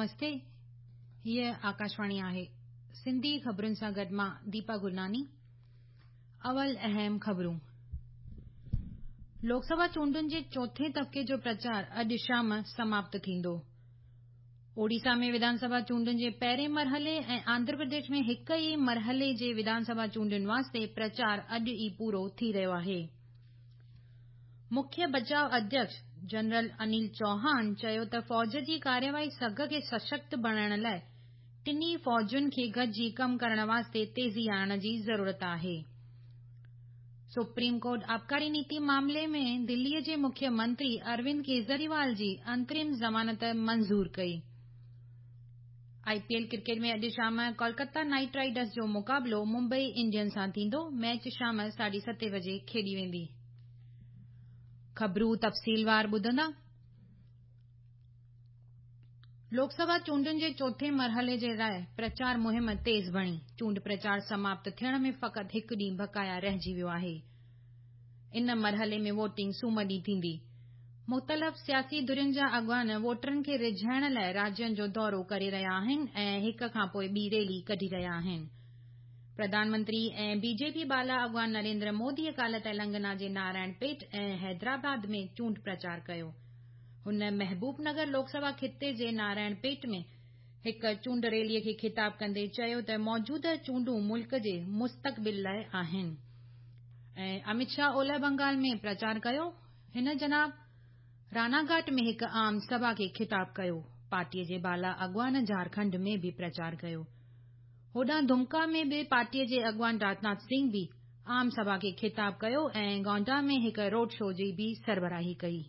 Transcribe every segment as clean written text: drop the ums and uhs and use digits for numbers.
نمستي هيء آڪاشواڻي آهي سنڌي خبرن سان گڏ مان ديپا گرناني اول اهم خبرون لوڪ سڀا چونڊن جي چوٿين طبقي جو پرچار اڄ شام سماپت ٿيندو. اوڙيسا ۾ وڌان سڀا چونڊن جي پهرين مرحلي ۽ آنڌرا پرديش ۾ هڪ ئي مرحلي جي وڌان سڀا چونڊن واسطي پرچار اڄ ئي پورو ٿي رهيو آهي. مکيه بچاء اڌيڪش جنرل انيل چوهان چيو ته فوج جي ڪارروائي سگهه کي سشڪت بڻائڻ لاء ٽنهي فوجن کي گڏجي ڪم ڪرڻ واسطي تيزي آڻڻ جي ضرورت آهي. سپريم ڪورٽ آبڪاري نيتي معاملي ۾ دلي جي مکيه منتري اروند ڪيجريوال جي انترم ضمانت منظور ڪئي. آء پي ايل ڪرڪيٽ ۾ اڄ شام ڪولڪتا نائيٽ رائيڊرز جو مقابلو ممبئي انڊينز سان ٿيندو، ميچ شام ساڍي ستين بجي کيڏي ويندي. خبرون تفصيلوار ٻڌندا. لوڪ سڀا چونڊن جي چوٿين مرحلي جي لاء پرچار مهم تيز بڻي، چونڊ پرچار سماپت ٿيڻ ۾ فقط هڪ ڏينهن بقايا رهجي ويو آهي. ان مرحلي ۾ ووٽنگ سومر ڏينهن ٿيندي. مختلف سياسي ڌرين جا اڳواڻ ووٽرن کي ريجهائڻ لاء راجين جو دورو ڪري رهيا آهن ۽ هڪ کانپوء ٻي ريلي ڪڍي رهيا آهن. پرڌان منتري ۽ بي جي پي بالا اڳواڻ نريندر مودي ڪالهه تيلنگنا جي نارائڻ پيٽ ۽ حيدرآباد ۾ چونڊ پرچار ڪيو. هن محبوب نگر لوڪ سڀا خطي جي نارائڻ پيٽ ۾ هڪ چونڊ ريلي کي خطاب ڪندي چيو ته موجوده چونڊون ملڪ جي مستقبل لاء آهن. ۽ اميت شاهه اولهه بنگال ۾ پرچار ڪيو. هن جناب راناگهاٽ ۾ هڪ عام سڀا کي خطاب ڪيو. پارٽيء جي بالا اڳواڻ جهارکنڊ ۾ به پرچار ڪيو. هوڏانهن دمڪا ۾ به پارٽيء جي اڳواڻ راجناٿ سنگهه به عام سڀا کي خطاب ڪيو ۽ گونڊا ۾ هڪ روڊ شو جي به سربراهي ڪئي.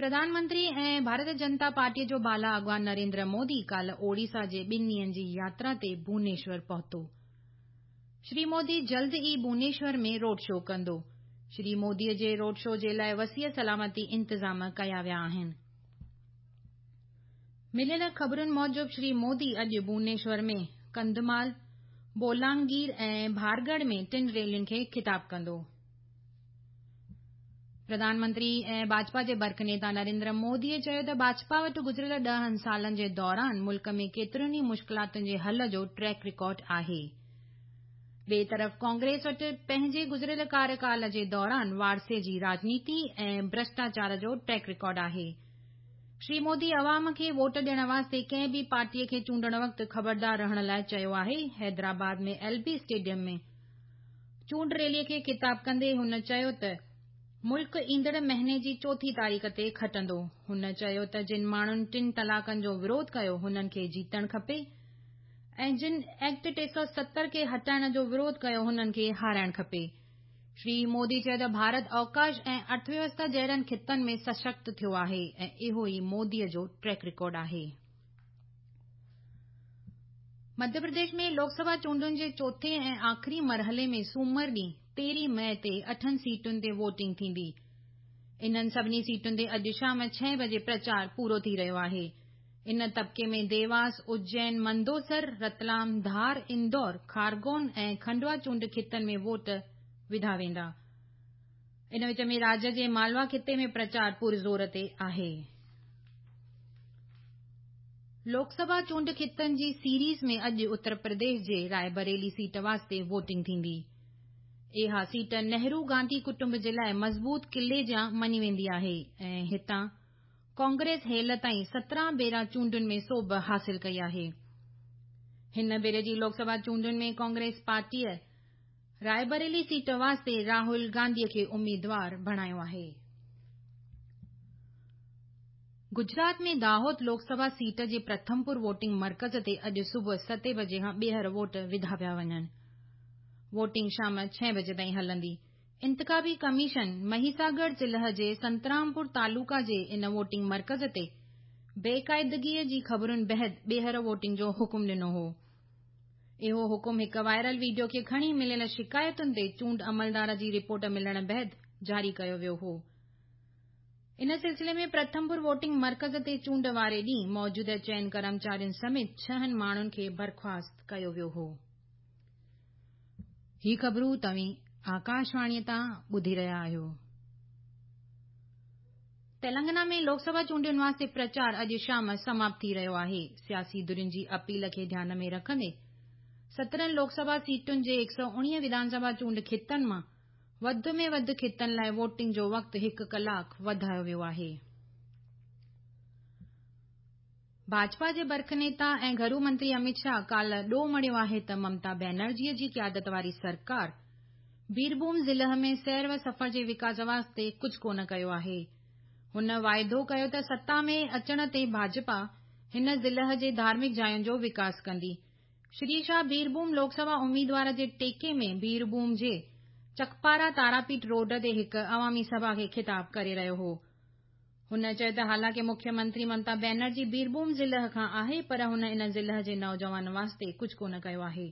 پرڌان منتري ۽ ڀارت جنتا پارٽيء جو بالا اڳواڻ نريندر مودي ڪالهه اوڙيسا جي ٻن ڏينهن جي ياترا تي ڀونيشور پهتو. شري مودي جلد ئي ڀونيشور ۾ روڊ شو ڪندو. شري مودي جي روڊ شو جي لاء وسيع سلامتي انتظام ڪيا ويا آهن. مليل خبرن موجب شري مودي اڄ ڀونيشور ۾ ڪنڌمال، بولانگير ۽ ڀارڳڙهه ۾ ٽن ريلين کي خطاب ڪندو. پرڌان منتري ۽ ڀاجپا جي برک نيتا نريندر مودي چيو ته ڀاجپا وٽ گذريل ڏهن سالن جي دوران ملڪ ۾ ڪيترين ئي مشڪلاتن جي حل جو ٽريڪ رڪارڊ آهي. ٻئي طرف ڪانگريس وٽ پنهنجي گذريل ڪاريڪال جي دوران وارثي جي راڄنيتي ۽ ڀرشٽاچار جو ٽريڪ رڪارڊ آهي. شري مودي عوام کي ووٽ ڏيڻ واسطي ڪنهن به پارٽي کي چونڊڻ وقت خبردار رهڻ لاء چيو آهي. حيدرآباد ۾ ايل بي اسٽيڊيم ۾ چونڊ ريلي کي خطاب ڪندي هن چيو ته ملڪ ايندڙ مهيني جي چوٿين تاريخ تي کٽندو. هن چيو ته جن ماڻهن ٽن طلاقن جو وروڌ ڪيو هنن کي جيتڻ کپي ۽ جن ايڪٽ 370 کي هٽائڻ جو وروڌ ڪيو هنن کي هارائڻ کپي. شري مودي چيو ته ڀارت اوڪاش ۽ ارٿويوسٿا جهڙن خطن ۾ سشڪت ٿيو آهي ۽ اهو ئي مودي جو ٽريڪ رڪارڊ آهي. مڌيه پرديش ۾ لوڪ سڀا چونڊن جي چوٿين ۽ آخري مرحلي ۾ سومر ڏينهن تيرهين مئي تي اٺن سيٽن تي ووٽنگ ٿيندي. انهن سڀني سيٽن تي اڄ شام ڇهين بجي پرچار پورو ٿي رهيو آهي. ان طبقي ۾ ديواس، اجين، مندوسر، رتلام، ڌار، اندور، کارگون ۽ کنڊوا چونڊ خطن ۾ ووٽ وڌا ويندا. ان وچ ۾ راجيه جي مالوا خطي ۾ پرچار پرزور تي آهي. لوڪ سڀا چونڊ خطن جي سيريز ۾ اڄ اتر پرديش جي راء بريلي سيٽ واسطي ووٽنگ ٿيندي. اها سيٽ نهرو گانڌي ڪٽنب جي لاء مضبوط قلعي جيان مڃي ويندي آهي ۽ هتان ڪانگريس هيل تائين 17 ڀيرا چونڊن ۾ سوڀ حاصل ڪئي آهي. هن ڀيري جي لوڪ سڀا چونڊن ۾ ڪانگريس پارٽيء راء بريلي سيٽ واسطي راهول گانڌي کي اميدوار بڻايو آهي. گجرات ۾ داهود لوڪ سڀا سيٽ جي پرٿمپور ووٽنگ مرڪز تي اڄ صبح ستين بجي کان ٻيهر ووٽ وڌا پيا وڃن. ووٽنگ شام ڇهين بجي تائين هلندي. انتخابي ڪميشن مهيساگڙ ضلع جي سنترامپور تعلقه جي ان ووٽنگ مرڪز تي بيقاعدگي جي خبرن بعد ٻيهر ووٽنگ جو حڪم ڏنو هو. اهو حڪم هڪ وائرل وڊيو کي کڻي مليل شڪايتن تي چونڊ عملدار جي رپورٽ ملڻ بعد جاري ڪيو ويو هو. ان سلسلي ۾ پرٿمپور ووٽنگ مرڪز تي چونڊ واري ڏينهن موجود چئن ڪرمچارين سميت ڇهن ماڻهن کي برخواست ڪيو ويو هو. هي خبرون توهين آڪاشواڻيء تان ٻڌي رهيا آهيو. تيلنگانا ۾ لوڪ سڀا چونڊن واسطي پرچار اڄ شام سماپت ٿي رهيو آهي. سياسي ڌرين جي اپيل کي ڌيان ۾ رکندي 17 لوڪ سڀا سيٽن جي 119 وڌان سڀا چونڊ خطن مان وڌ ۾ وڌ خطن لاء ووٽنگ جو وقت هڪ ڪلاڪ وڌايو ويو آهي. ڀاجپا جي برک نيتا ۽ گهرو منتري امت شاهه ڪالهه ڏوهه مڙهيو آهي ته ممتا بينرجيء جي قيادت واري سرڪار بيرڀوم ضلع ۾ سير و سفر جي وڪاس واسطي ڪجهه ڪونه ڪيو آهي. هن واعدو ڪيو ته ستا ۾ اچڻ تي ڀاجپا هن ضلع جي ڌارمڪ جاين جو وڪاس ڪندي. شري شاهه بيرڀوم لوڪ سڀا اميدوار جي ٽيڪي ۾ بيرڀوم جي چڪپارا تاراپيٺ روڊ تي هڪ عوامي سڀا کي خطاب ڪري رهيو هو. هن چيو ته حالانڪه مکيه منتري ممتا بينرجي بيرڀوم ضلع کان آهي پر هن ان ضلع جي نوجوانن واسطي ڪجهه ڪونه ڪيو آهي.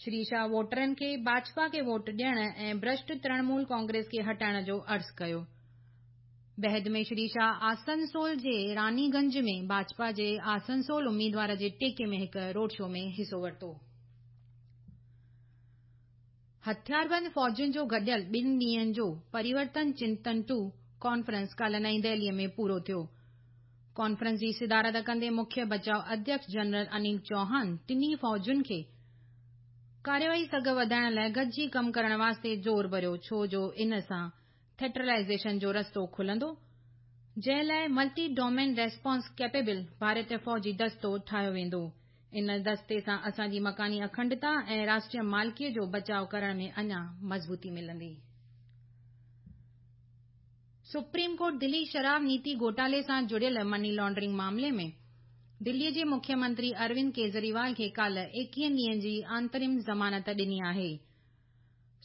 شري شاهه ووٽرن کي ڀاجپا کي ووٽ ڏيڻ ۽ ڀرشٽ ترڻمول ڪانگريس کي هٽائڻ جو عرض ڪيو. بعد ۾ شري شاهه آسنسول جي راني گنج ۾ ڀاجپا جي آسنسول اميدوار جي ٽيڪي ۾ هڪ روڊ شو ۾ حصو ورتو. هٿياربند فوجن جو گڏيل ٻن ڏينهن جو پريورتن چنتن ٽو ڪانفرنس ڪالهه نئين دهليء ۾ پورو ٿيو. ڪانفرنس جي صدارت ڪندي مکيه بچاء اڌيڪش جنرل انيل چوهان ٽنهي فوجن کي ڪارروائي سگهه وڌائڻ لاء گڏجي ڪم ڪرڻ واسطي زور ڀريو ڇو جو ان سان ٿيٽرلائيزيشن جو رستو کلندو، جنهن لاء ملٽي ڊومين ريسپانس ڪيپيبل ڀارتي فوجي دستو ٺاهيو ويندو. ان دستي سان اسان جي مڪاني اکنڊتا ۽ راشٽريه مالڪيء جو بچاء ڪرڻ ۾ اڃا مضبوطي ملندي. سپريم ڪورٽ دلي شراب نيتي گهوٽالي سان جڙيل مني لانڊرنگ معاملي ۾ دلي جي مکيه منتري اروند ڪيجريوال کي ڪالهه 21 ڏينهن جي انترم ضمانت ڏني آهي.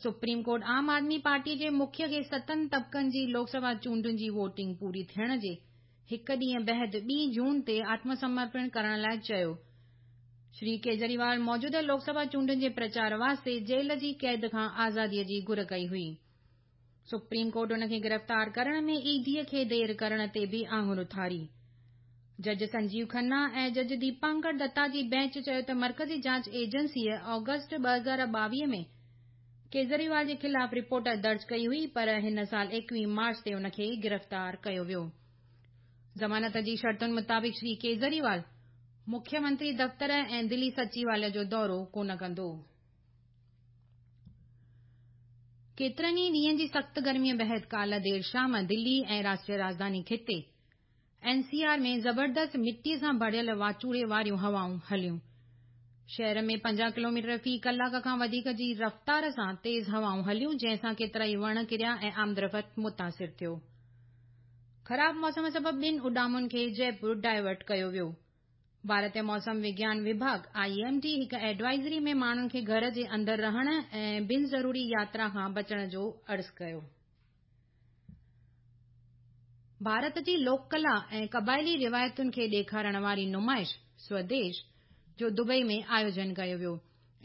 سپريم ڪورٽ عام آدمي پارٽي جي مکيه کي ستن طبقن جي لوڪ سڀا چونڊن جي ووٽنگ پوري ٿيڻ جي هڪ ڏينهن بعد 2 جون تي آتم سمرپڻ ڪرڻ لاء چيو. شري ڪيجريوال موجوده لوڪ سڀا چونڊن جي پرچار واسطي جيل جي قيد کان آزادي جي گهر ڪئي هئي. سپريم ڪورٽ ان کي گرفتار ڪرڻ ۾ اي ڊي کي دير ڪرڻ تي به آڱر اٿاري. جج سنجيو کنا ۽ جج ديپانڪر دتا جي بينچ چيو ته مرڪزي جاچ ايجنسيء آگسٽ 2022 ۾ ڪيجريوال جي خلاف رپورٽ درج ڪئي هئي پر هن سال 21 مارچ تي ان کي گرفتار ڪيو ويو. ضمانت جي شرطن مطابق شري ڪيجريوال مکيه منتري دفتر ۽ دلي سچيواليه جو دورو ڪونه ڪندو. ڪيترن ئي ڏينهن جي سخت گرميء بعد ڪالهه دير شام دلي ۽ راشٽريه راڄڌاني خطي، اين سي آر، ۾ زبردست مٽيء سان ڀريل واچوڙي واريون هوائون هليون. شهر ۾ 50 ڪلوميٽر في ڪلاڪ کان وڌيڪ جي رفتار سان تيز هوائون هليون جنهن سان ڪيترائي وڻ ڪريا ۽ آمدرفت متاثر ٿيو. خراب موسم سبب ٻن اڏامن کي جئپور ڊائيورٽ ڪيو ويو. ڀارتي موسم وگيان وڀاڳ، I M D, هڪ ايڊوائزري ۾ ماڻهن کي گهر جي اندر رهڻ ۽ بن ضروري ياترا کان بچڻ جو عرض ڪيو. ڀارت جي لوڪ ڪلا ۽ قبائلي روايتن کي ڏيکارڻ واري نمائش سوديش جو دبئي ۾ آيوجن ڪيو ويو.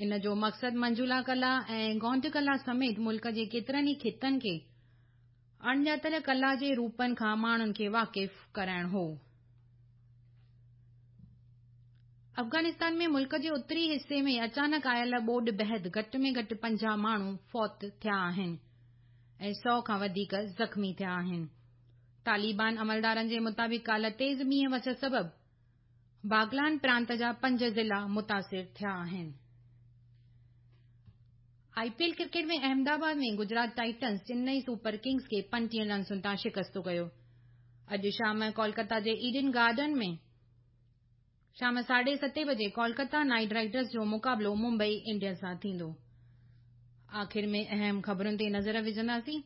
ان جو مقصد منجولا ڪلا ۽ گونڊ ڪلا سميت ملڪ جي ڪيترن ئي خطن کي اڻڄاتل ڪلا جي روپن کان ماڻهن کي واقف ڪرائڻ هو. افغانستان ۾ ملڪ جي اتري حصي ۾ اچانڪ آيل ٻوڏ بعد گهٽ ۾ گهٽ 50 ماڻهو فوت ٿيا آهن ۽ 100 کان وڌيڪ زخمي ٿيا آهن. طالبان عملدارن جي مطابق ڪالهه تيز مينهن وس سبب باغلان پرانت جا 5 ضلعا متاثر ٿيا آهن. I P L cricket ۾ Ahmedabad ۾ Gujarat Titans Chennai Super Kings کي 35 رنسن تان شڪست ڪيو. اڄ شام ڪولڪتا جي ايڊن گارڊن ۾ شام 7:30 بجي ڪولڪتا نائيٽ رائيڊرز جو مقابلو ممبئي انڊينز سان ٿيندو. آخر ۾ اهم خبرن تي نظر وجهنداسين.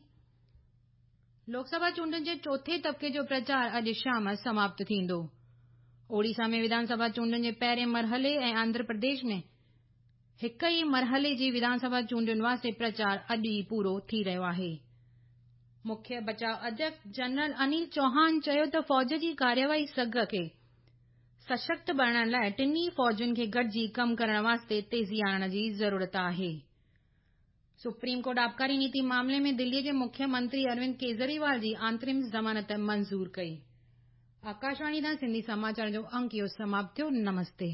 لوڪ سڀا چونڊن جي چوٿين طبقي جو پرچار اڄ شام سماپت ٿيندو. اوڙيسا ۾ وڌان سڀا چونڊن جي پهرين مرحلي ۽ آنڌرا پرديش ۾ هڪ ئي مرحلي جي وڌان سڀا چونڊن واسطي پرچار اڄ ئي پورو ٿي رهيو آهي. مکيه بچاء اڌيڪش جنرل انيل چوهان چيو ته فوج جي ڪارروائي سگهه کي سشڪت بڻائڻ لاء ٽنهي فوجن کي گڏجي ڪم ڪرڻ واسطي تيزي آڻڻ جي ضرورت آهي. سپريم ڪورٽ آبڪاري نيتي معاملي ۾ دلي جي مکيه منتري اروند ڪيجريوال جي آنترم ضمانت منظور ڪئي. آڪاشواڻي تان سنڌي سماچار جو انڪ اهو سماپت ٿيو. نمستي.